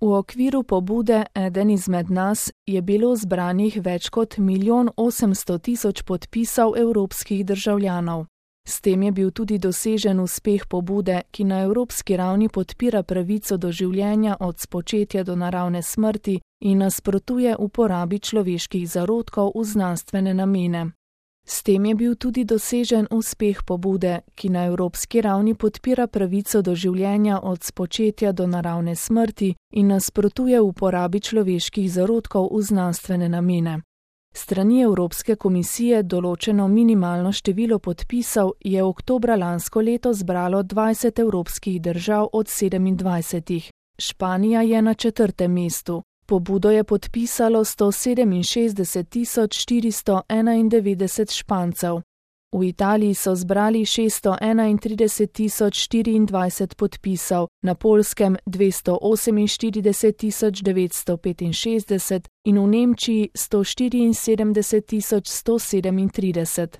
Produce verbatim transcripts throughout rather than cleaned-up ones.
V okviru pobude Eden izmed nas je bilo zbranih več kot milijon osemsto tisoč podpisov evropskih državljanov. S tem je bil tudi dosežen uspeh pobude, ki na evropski ravni podpira pravico do življenja od spočetja do naravne smrti in nasprotuje uporabi človeških zarodkov v znanstvene namene. S tem je bil tudi dosežen uspeh pobude, ki na evropski ravni podpira pravico do življenja od spočetja do naravne smrti in nasprotuje uporabi človeških zarodkov v znanstvene namene. Strani Evropske komisije določeno minimalno število podpisov je oktobra lansko leto zbralo dvajset evropskih držav od sedemindvajsetih. Španija je na četrtem mestu. Pobudo je podpisalo sto sedeminšestdeset tisoč štiristo enaindevetdeset Špancev. V Italiji so zbrali šeststo enaintrideset tisoč štiriindvajset podpisov, na Poljskem dvesto oseminštirideset tisoč devetsto petinšestdeset in v Nemčiji sto štiriinsedemdeset tisoč sto sedemintrideset.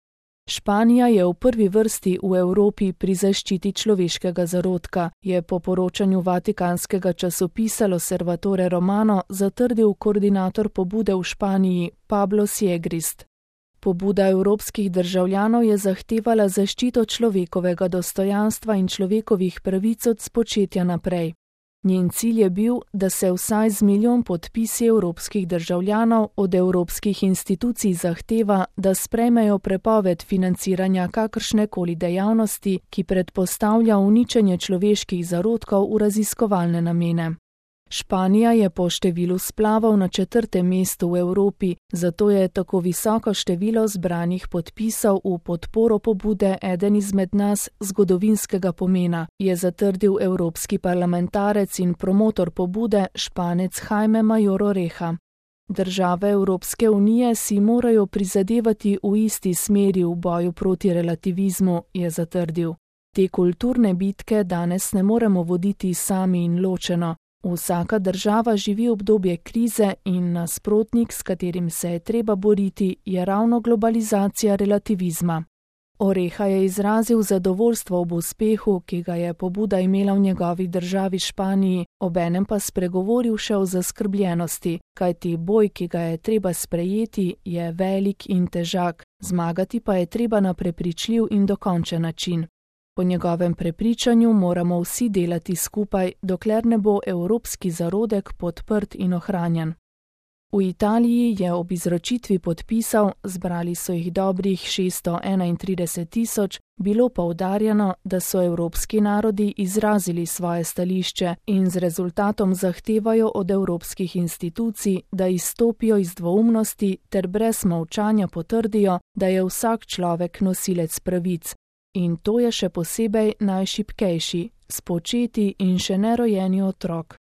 Španija je v prvi vrsti v Evropi pri zaščiti človeškega zarodka, je po poročanju vatikanskega časopisa L'Osservatore Romano zatrdil koordinator pobude v Španiji Pablo Siegrist. Pobuda evropskih državljanov je zahtevala zaščito človekovega dostojanstva in človekovih pravic od spočetja naprej. Njen cilj je bil, da se vsaj z milijon podpisi evropskih državljanov od evropskih institucij zahteva, da sprejmejo prepoved financiranja kakršnekoli dejavnosti, ki predpostavlja uničenje človeških zarodkov v raziskovalne namene. Španija je po številu splavov na četrtem mestu v Evropi, zato je tako visoko število zbranih podpisov v podporo pobude Eden izmed nas zgodovinskega pomena, je zatrdil evropski parlamentarec in promotor pobude Španec Jaime Mayor Oreja. Države Evropske unije si morajo prizadevati v isti smeri v boju proti relativizmu, je zatrdil. Te kulturne bitke danes ne moremo voditi sami in ločeno. Vsaka država živi obdobje krize in nasprotnik, s katerim se je treba boriti, je ravno globalizacija relativizma. Oreja je izrazil zadovoljstvo ob uspehu, ki ga je pobuda imela v njegovi državi Španiji, obenem pa spregovoril še o zaskrbljenosti, kajti boj, ki ga je treba sprejeti, je velik in težak, zmagati pa je treba na prepričljiv in dokončen način. Po njegovem prepričanju moramo vsi delati skupaj, dokler ne bo evropski zarodek podprt in ohranjen. V Italiji je ob izročitvi podpisov, zbrali so jih dobrih šeststo enaintrideset tisoč, bilo poudarjeno, da so evropski narodi izrazili svoje stališče in z rezultatom zahtevajo od evropskih institucij, da izstopijo iz dvoumnosti ter brez molčanja potrdijo, da je vsak človek nosilec pravic. In to je še posebej najšibkejši, spočeti in še nerojeni otrok.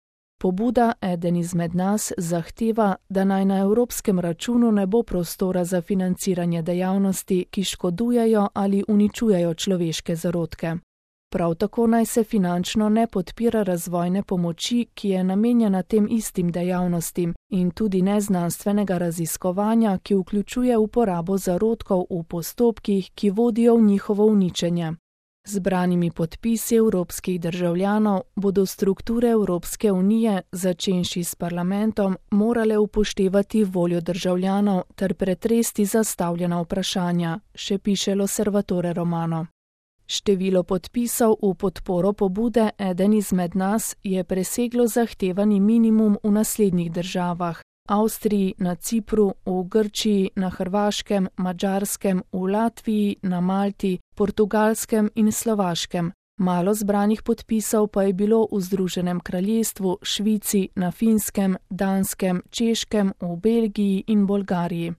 Pobuda Eden izmed nas zahteva, da naj na evropskem računu ne bo prostora za financiranje dejavnosti, ki škodujejo ali uničujejo človeške zarodke. Prav tako naj se finančno ne podpira razvojne pomoči, ki je namenjena tem istim dejavnostim, in tudi neznanstvenega raziskovanja, ki vključuje uporabo zarodkov v postopkih, ki vodijo v njihovo uničenje. Zbranimi podpisi evropskih državljanov bodo strukture Evropske unije, začenši s parlamentom, morale upoštevati voljo državljanov ter pretresti zastavljena vprašanja, še piše L'Osservatore Romano. Število podpisov v podporo pobude Eden izmed nas je preseglo zahtevani minimum v naslednjih državah: Avstriji, na Cipru, v Grčiji, na Hrvaškem, Madžarskem, v Latviji, na Malti, Portugalskem in Slovaškem. Malo zbranih podpisov pa je bilo v Združenem kraljestvu, Švici, na Finskem, Danskem, Češkem, v Belgiji in Bolgariji.